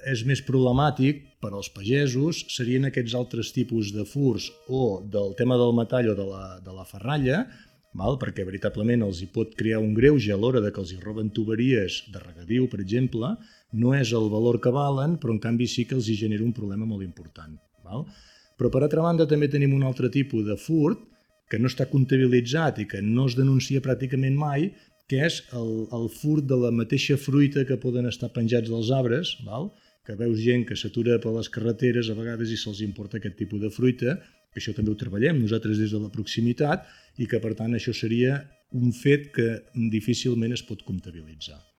és més problemàtic per als pagesos serien aquests altres tipus de furs o del tema del metall o de la ferralla, perquè veritablement els hi pot crear un greuge a l'hora de que els hi roben tuberies de regadiu, per exemple, no és el valor que valen, però en canvi sí que els hi genera un problema molt important. Però per altra banda també tenim un altre tipus de furt que no està comptabilitzat i que no es denuncia pràcticament mai, que és el furt de la mateixa fruita que poden estar penjats dels arbres, que veus gent que s'atura per les carreteres a vegades i se'ls importa aquest tipus de fruita, que això també ho treballem nosaltres des de la proximitat i que per tant això seria un fet que difícilment es pot comptabilitzar.